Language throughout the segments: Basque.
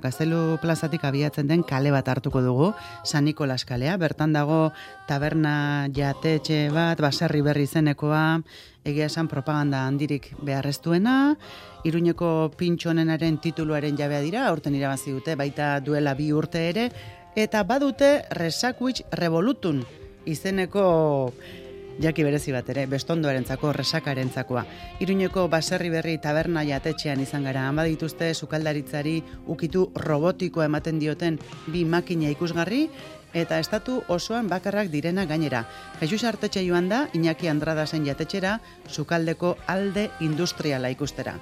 Gaztelu plazatik abiatzen den kale bat hartuko dugu, San Nikolas kalea, bertan dago taberna jatetxe bat, Baserri Berri izenekoa, egia esan propaganda handirik beharreztuena, Iruñeko pintxo onenaren tituluaren jabea dira, aurten irabazi dute, baita duela 2 urte ere, eta badute Resaquich Revolutun izeneko jaki berezi bat ere, bestondoarentzako, resakarentzako. Iruñeko Baserri Berri taberna jatetxean izan gara, han badituzte sukaldaritzari ukitu robotikoa ematen dioten 2 makina ikusgarri, eta estatu osoan bakarrak direna gainera. Jesus Artetxe joan da, Iñaki Andradasen jatetxera, sukaldeko alde industriala ikustera.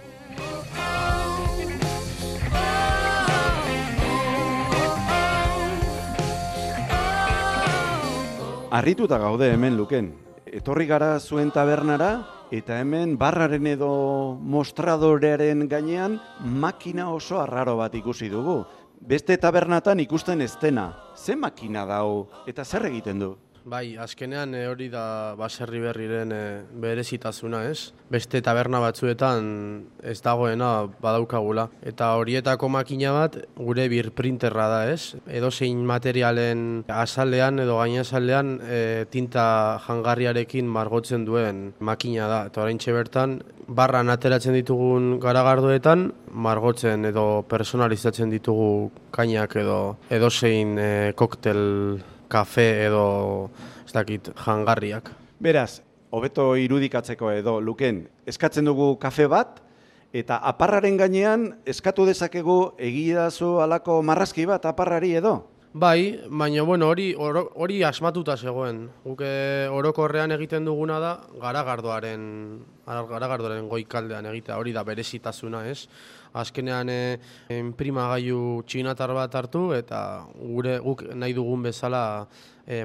Harrituta gaude hemen Luken. Etorri gara zuen tabernara, eta hemen barraren edo mostradorearen gainean makina oso arraro bat ikusi dugu. Beste tabernatan ikusten ez dena. Ze makina dau eta zer egiten du? Bai, azkenean hori da Baserri Berriren berezitasuna, ez? Beste taberna batzuetan ez dagoena badaukagula. Eta horietako makina bat gure birprinterra da, ez? Edozein materialen azalean edo gainazalean tinta jangarriarekin margotzen duen makina da. Eta oraintxe bertan, barran ateratzen ditugun garagardoetan, margotzen edo personalizatzen ditugu kainak edo edozein koktel, kafe edo ez dakit jangarriak. Beraz, hobeto irudikatzeko edo Luken, eskatzen dugu kafe bat, eta aparraren gainean eskatu dezakegu egidazu halako marrazki bat aparrari edo? Bai, baina bueno, hori asmatuta zegoen. Guk orokorrean egiten duguna da garagardoaren goikaldean egitea, hori da berezitasuna, ez? Azkenean inprimagailu txinatar bat hartu eta guk nahi dugun bezala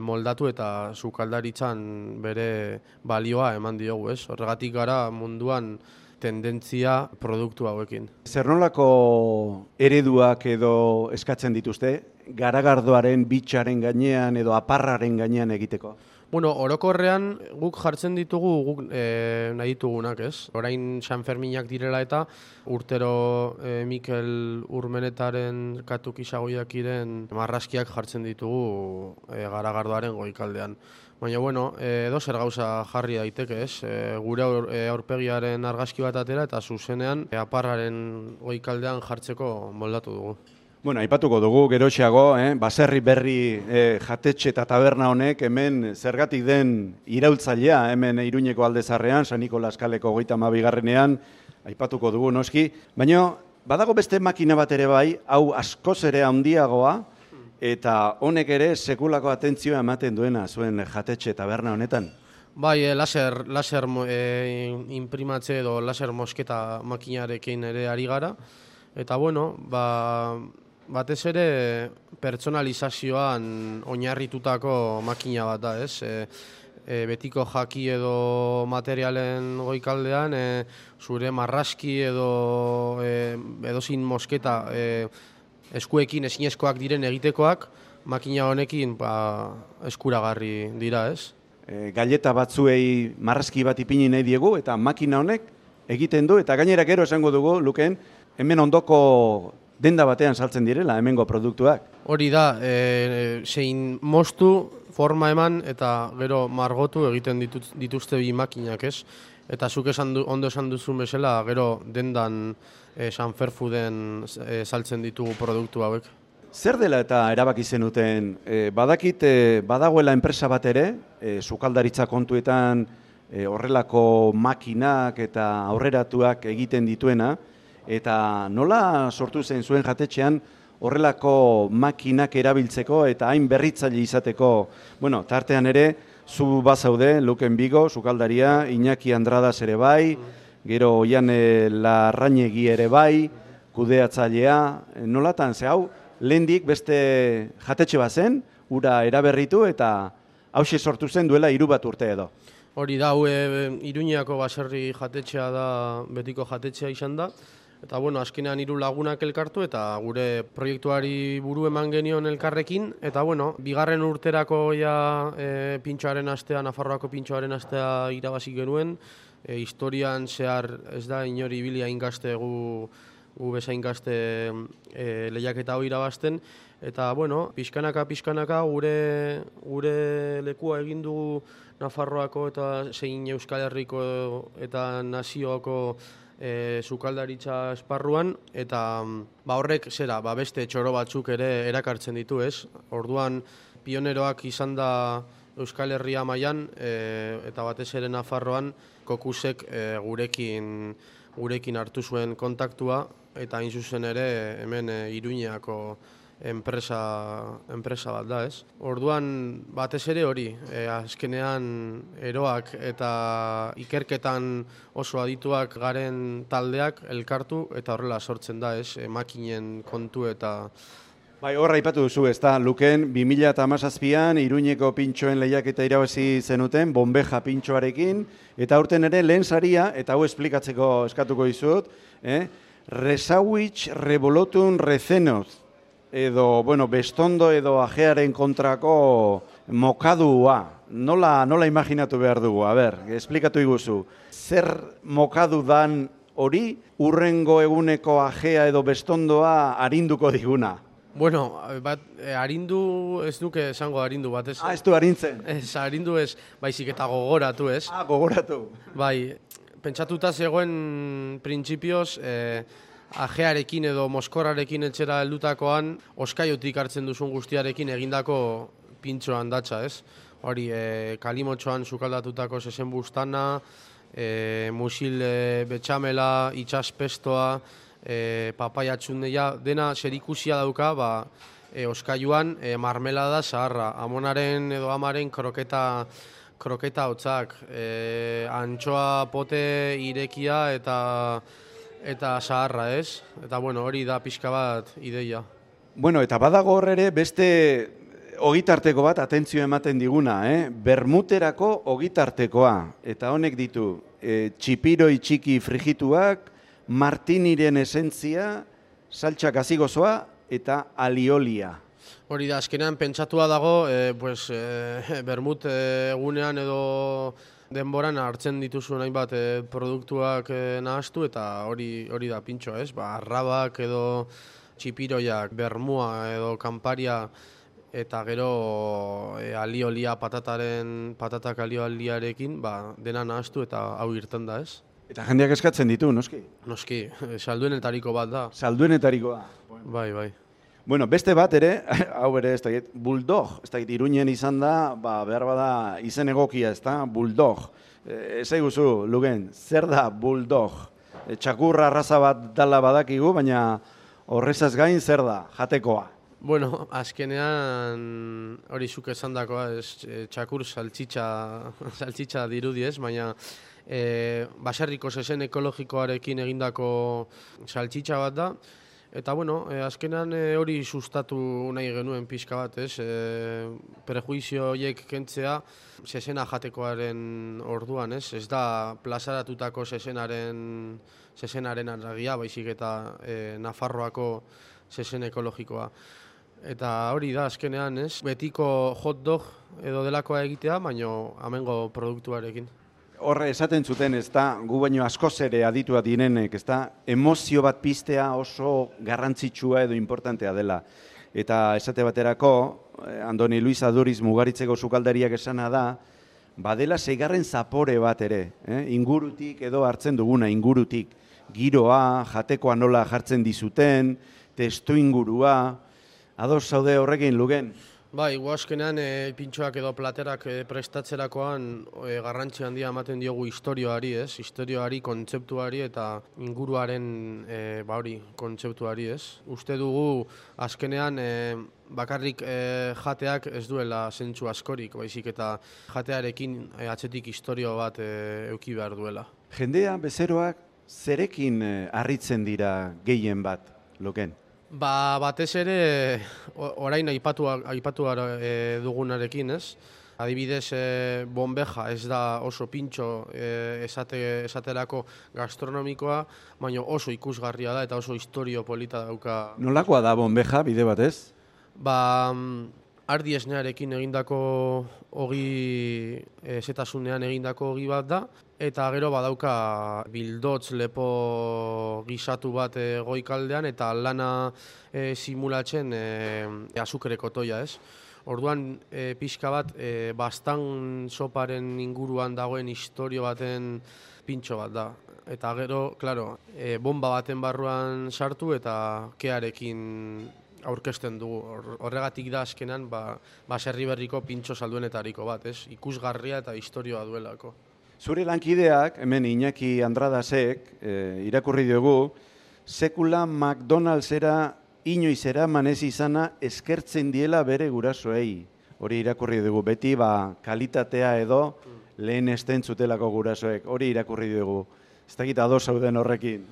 moldatu eta sukaldaritzan bere balioa eman diogu, ez? Horregatik gara munduan tendentzia produktu hauekin. Zer nolako ereduak edo eskatzen dituzte, garagardoaren bitxaren gainean edo aparraren gainean egiteko? Bueno, orokorrean guk jartzen ditugu guk nahi ditugunak, ez? Orain San Ferminak direla eta urtero Mikel Urmenetaren katukisagoiakiren marrazkiak jartzen ditugu garagardoaren goikaldean. Baina, bueno, edo zer gauza jarri daiteke, ez? Gure aurpegiaren argazki bat atera eta zuzenean aparraren goikaldean jartzeko moldatu dugu. Bueno, aipatuko dugu geroxeago, Baserri Berri jatetxe eta taberna honek hemen zergatik den iraultzailea, hemen Iruñeko Aldezarrean, San Nikolas kaleko 32ean, aipatuko dugu noski, baina badago beste makina bat ere bai, hau askoz ere handiagoa, eta honek ere sekulako atentzioa ematen duena zuen jatetxe taberna honetan. Bai, laser imprimatze edo laser mosketa makinarekin ere ari gara, eta bueno, batez ere pertsonalizazioan oinarritutako makina bat da, ez? Betiko jaki edo materialen goikaldean, zure marrazki edo edozin mosketa eskuekin ezinezkoak diren egitekoak, makina honekin eskuragarri dira, ez? Galleta batzuei marrazki bat ipini nahi diegu eta makina honek egiten du, eta gainera gero esango dugu, Luken, hemen ondoko denda batean saltzen direla, hemengo produktuak. Hori da, zein moztu, forma eman eta gero margotu egiten dituzte 2 makinak, ez? Eta zuk ondo esan duzun bezala, gero dendan San Ferfuden saltzen ditugu produktu hauek. Zer dela eta erabaki zenuten, badakit badagoela enpresa bat ere, sukaldaritza kontuetan horrelako makinak eta aurreratuak egiten dituena, eta nola sortu zen zuen jatetxean horrelako makinak erabiltzeko eta hain berritzaile izateko, bueno, tartean ere, zu bazaude, Luken Bigo, sukaldaria, Iñaki Andradas ere bai, gero Oiane Larrañegi ere bai, kudeatzailea, nolatan, ze hau, lehendik beste jatetxe bat zen, ura eraberritu eta hauxe sortu zen duela 3 urte edo. Hori da, Iruñako Baserri jatetxea da, betiko jatetxea izan da, eta bueno, azkenean 3 lagunak elkartu eta gure proiektuari buru eman genion elkarrekin, eta bueno, 2. urterako pintxoaren astea, Nafarroako pintxoaren astea irabazi genuen, historian zehar ez da inori ibilia ingaztegu gu bezain gazte lehiaketa hori irabazten, eta, bueno, pixkanaka gure lekua egin dugu Nafarroako eta zein Euskal Herriko eta nazioko sukaldaritza esparruan, eta horrek beste txoro batzuk ere erakartzen ditu, ez? Orduan, pioneroak izan da Euskal Herria mailan eta batez ere Nafarroan Kokusek gurekin hartu zuen kontaktua, eta hain zuzen ere hemen Iruñeako enpresa bat da, ez? Orduan, batez ere hori, azkenean eroak eta ikerketan oso adituak garen taldeak elkartu, eta horrela sortzen da, ez? Makinen kontu eta... Bai, horra aipatu duzu, ez da, Luken, 2017an Iruñeko pintxoen lehiaketa irabazi zenuten, Bombeja pintxoarekin, eta aurten ere lehen saria, eta hau esplikatzeko eskatuko dizut, Resauich revolotun recenoz, edo, bueno, bestondo edo ajearen kontrako mokadua. Nola imaginatu behar dugu? A ber, esplikatu iguzu. Zer mokadu dan hori, urrengo eguneko ajea edo bestondoa arinduko diguna? Bueno, arindu, ez duke esango arindu batez. Ez du arintzen? Ez, arindu ez, baizik eta gogoratu, ez? Gogoratu. Bai, pentsatuta zegoen printzipioz, ajearekin edo moskorrarekin etxera heldutakoan, oskaiotik hartzen duzun guztiarekin egindako pintxo handatxa, ez? Hori, kalimotxoan sukaldatutako zesen bustana, musil betxamela, itxaspestoa, papaiatxundeia, dena zerikusia dauka, oskaioan marmelada zaharra, amonaren edo amaren kroketa hotzak, antxoa pote irekia eta zaharra, ez? Eta, bueno, hori da pixka bat ideia. Bueno, eta badago hor ere beste ogitarteko bat atentzio ematen diguna, Bermuterako ogitartekoa. Eta honek ditu, txipiroi txiki frigituak, martiniren esentzia, saltxak azigozoa eta aliolia. Hori da, azkenean pentsatua dago, bermut egunean edo denboran hartzen dituzun hainbat produktuak nahaztu, eta hori da pintxo, ez? Arrabak edo txipiroiak, bermua edo kanparia, eta gero aliolia patatak alioliarekin, dena nahaztu eta hau irten da, ez? Eta jendeak eskatzen ditu, noski? Noski, salduenetariko bat da. Salduenetarikoa. Bai. Bueno, beste bat ere, hau ere, ez da, bulldog, ez da, Iruñen izan da, behar bada izen egokia, ez da, bulldog. Ez eguzu, Lugen, zer da bulldog? Txakurra arraza bat dala badakigu, baina horrezaz gain zer da, jatekoa? Bueno, azkenean hori zuk esandakoa, txakur saltxitxa dirudi ez, baina baserriko zesen ekologikoarekin egindako saltxitxa bat da. Eta, bueno, azkenean hori sustatu nahi genuen pixka bat, ez? Prejuizio horiek kentzea zesena jatekoaren orduan, ez? Ez da plazaratutako zezenaren arragia, baizik eta Nafarroako zesen ekologikoa. Eta hori da, azkenean, ez? Betiko hot dog edo delakoa egitea, baino amengo produktuarekin. Horre esaten zuten, ez da, gu baino askoz ere aditua direnek, ez da, emozio bat piztea oso garrantzitsua edo importantea dela. Eta esate baterako, Andoni Luis Aduriz Mugaritzeko sukaldariak esana da, badela 6. zapore bat ere, ingurutik edo hartzen duguna, ingurutik. Giroa, jatekoa nola jartzen dizuten, testu ingurua, ados zaude horrekin, Lugen? Bai, guazkenean pintxoak edo platerak prestatzerakoan garrantzi handia ematen diogu historioari, ez? Historioari, kontzeptuari eta inguruaren kontzeptuari, ez? Uste dugu azkenean bakarrik jateak ez duela zentzu askorik, baizik eta jatearekin atzetik historio bat eduki behar duela. Jendea, bezeroak, zerekin harritzen dira gehien bat, Luken? Batez ere, orain aipatu dugunarekin, ez? Adibidez, Bombeja ez da oso pintxo esaterako gastronomikoa, baina oso ikusgarria da eta oso historio polita dauka. Nolakoa da Bombeja, bide batez? ardi esnearekin egindako ogi, zetasunean egindako ogi bat da, eta gero badauka bildotz lepo gisatu bat goikaldean, eta lana simulatzen azukreko toia, ez? Orduan, pixka bat, bastan soparen inguruan dagoen istorio baten pintxo bat da. Eta gero, klaro, bomba baten barruan sartu eta kearekin aurkezten dugu. Horregatik da azkenan baserri berriko pintxo salduenetariko bat, ez? Ikusgarria eta historioa duelako. Zure lankideak, hemen Iñaki Andradasek, irakurri diogu, sekula McDonald'sera inoiz eraman ez izana eskertzen diela bere gurasoei. Hori irakurri dugu, beti kalitatea edo lehen esten zutelako gurasoek. Hori irakurri dugu. Ez dakit ados zauden horrekin.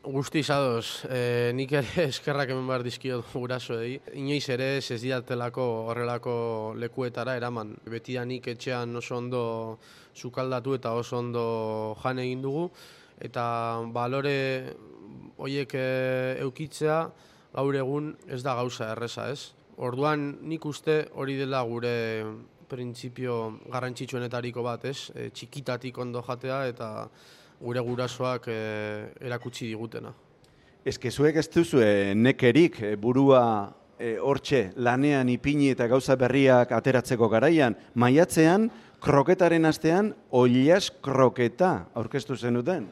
Guztiz ados, nik ere eskerrak hemen behar dizkiot gurasoei. Inoiz ere ez didatelako horrelako lekuetara eraman. Betidanik etxean oso ondo sukaldatu eta oso ondo jan egin dugu. Eta balore horiek eukitzea gaur egun ez da gauza erreza, ez? Orduan nik uste hori dela gure printzipio garrantzitsuenetariko bat, ez? Txikitatik ondo jatea eta gure gurasoak erakutsi digutena. Zuek ez duzu nekerik burua hortxe lanean ipini eta gauza berriak ateratzeko garaian. Maiatzean, kroketaren astean, oilas kroketa aurkeztu zenuten.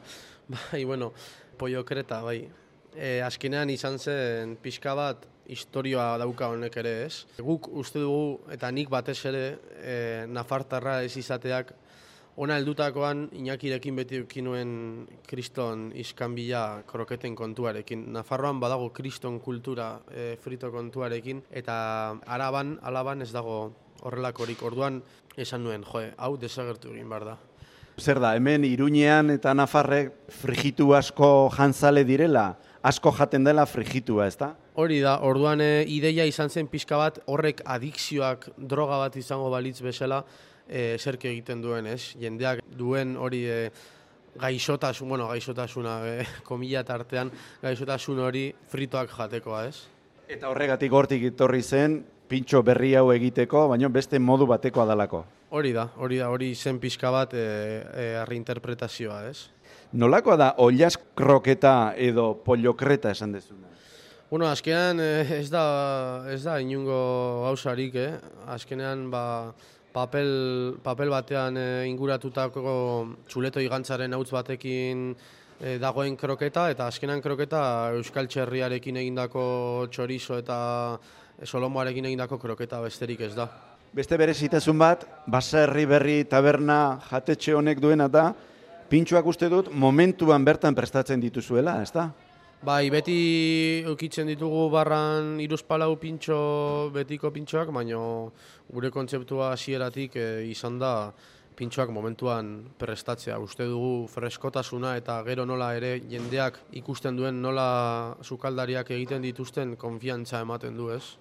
Bai, bueno, pollo kreta, bai. Azkenean izan zen pixka bat historioa dauka honek ere, ez? Guk uste dugu, eta nik batez ere, nafartarra ez izateak, ona heldutakoan Iñakirekin beti eukinuen kriston iskanbila kroketen kontuarekin. Nafarroan badago kriston kultura frito kontuarekin, eta alaban ez dago horrelakorik. Orduan esan nuen, hau desagertu egin behar da. Zer da, hemen Iruñean eta Nafarrek frijitu asko jantzale direla, asko jaten dela frijitua, ez da? Hori da, orduan ideia izan zen pixka bat, horrek adikzioak droga bat izango balitz bezala, zerke egiten duen, ez? Jendeak duen hori gaixotasuna, komila tartean, gaixotasun hori fritoak jatekoa, ez? Eta horregatik hortik etorri zen, pintxo berri hau egiteko, baina beste modu batekoa dalako. Hori zen pixka bat reinterpretazioa, ez? Nolakoa da oilas kroketa edo pollokreta esan dezuna? Bueno, azkenean ez da inungo gauzarik, Azkenean papel batean inguratutako txuleto igantzaren hautz batekin dagoen kroketa, eta azkenan kroketa Euskal Txerriarekin egindako txorizo eta solomoarekin egindako kroketa besterik ez da. Beste berezitasun bat, Baserri Berri taberna jatetxe honek duena da, pintxoak uste dut momentuan bertan prestatzen dituzuela, ez da? Bai, beti eukitzen ditugu barran 3-4 pintxo, betiko pintxoak, baina gure kontzeptua hasieratik izan da pintxoak momentuan prestatzea. Uste dugu freskotasuna eta gero nola ere jendeak ikusten duen nola sukaldariak egiten dituzten konfiantza ematen du, ez?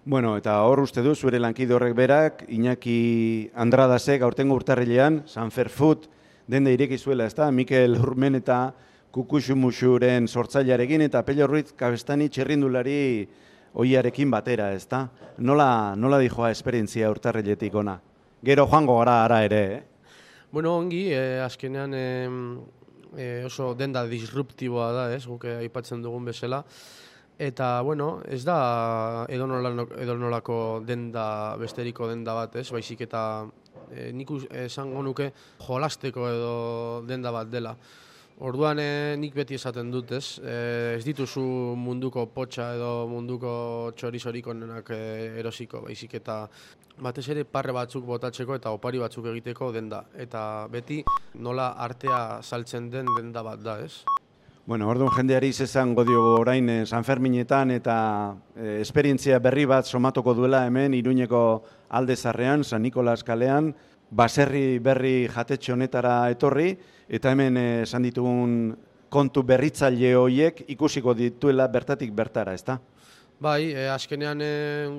Bueno, eta hor uste du, zure lankide horrek berak, Iñaki Andradasek aurtengo urtarrilean, Sanfer Food denda ireki zuela, ez da? Mikel Urmen eta Kukuxumuxuren sortzailearekin eta Pello Ruiz Kabestani txirrindulari oiarekin batera, ez da? Nola dijoa esperientzia urtarriletik ona? Gero joango gara ara ere, Bueno, ongi, azkenean oso denda disruptiboa da, ez? Guk aipatzen dugun bezala. Eta, bueno, ez da edonolako denda, besteriko denda bat, ez? Baizik eta nik esango nuke jolasteko edo denda bat dela. Orduan nik beti esaten dut, ez? Ez dituzu munduko potxa edo munduko txorizorik onenak erosiko, baizik eta batez ere parre batzuk botatzeko eta opari batzuk egiteko denda. Eta beti nola artea saltzen den denda bat da, ez? Bueno, orduan jendeari izango diogu orain San Ferminetan eta esperientzia berri bat somatuko duela hemen Iruñeko Alde Zarrean, San Nikolas kalean, Baserri Berri jatetxe honetara etorri, eta hemen esan ditugun kontu berritzaile horiek ikusiko dituela bertatik bertara, ezta? Bai, azkenean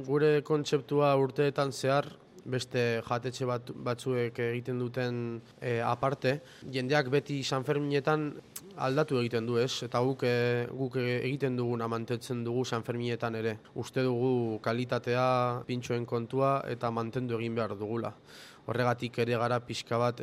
gure kontzeptua urteetan zehar, beste jatetxe batzuek egiten duten aparte, jendeak beti San Ferminetan aldatu egiten du, ez? Eta guk egiten duguna mantentzen dugu Sanferminetan ere. Uste dugu kalitatea, pintxoen kontua eta mantendu egin behar dugula. Horregatik ere gara pixka bat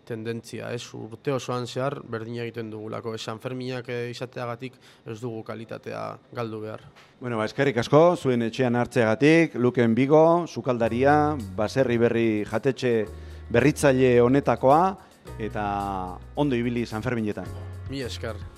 tendentzia, ez? Urte osoan zehar berdin egiten dugulako. Sanferminak izateagatik ez dugu kalitatea galdu behar. Bueno, eskerrik asko, zuen etxean hartzeagatik, Luken Bigo, sukaldaria, Baserri Berri jatetxe berritzaile honetakoa, eta ondo ibili Sanferminetan. Mi esker.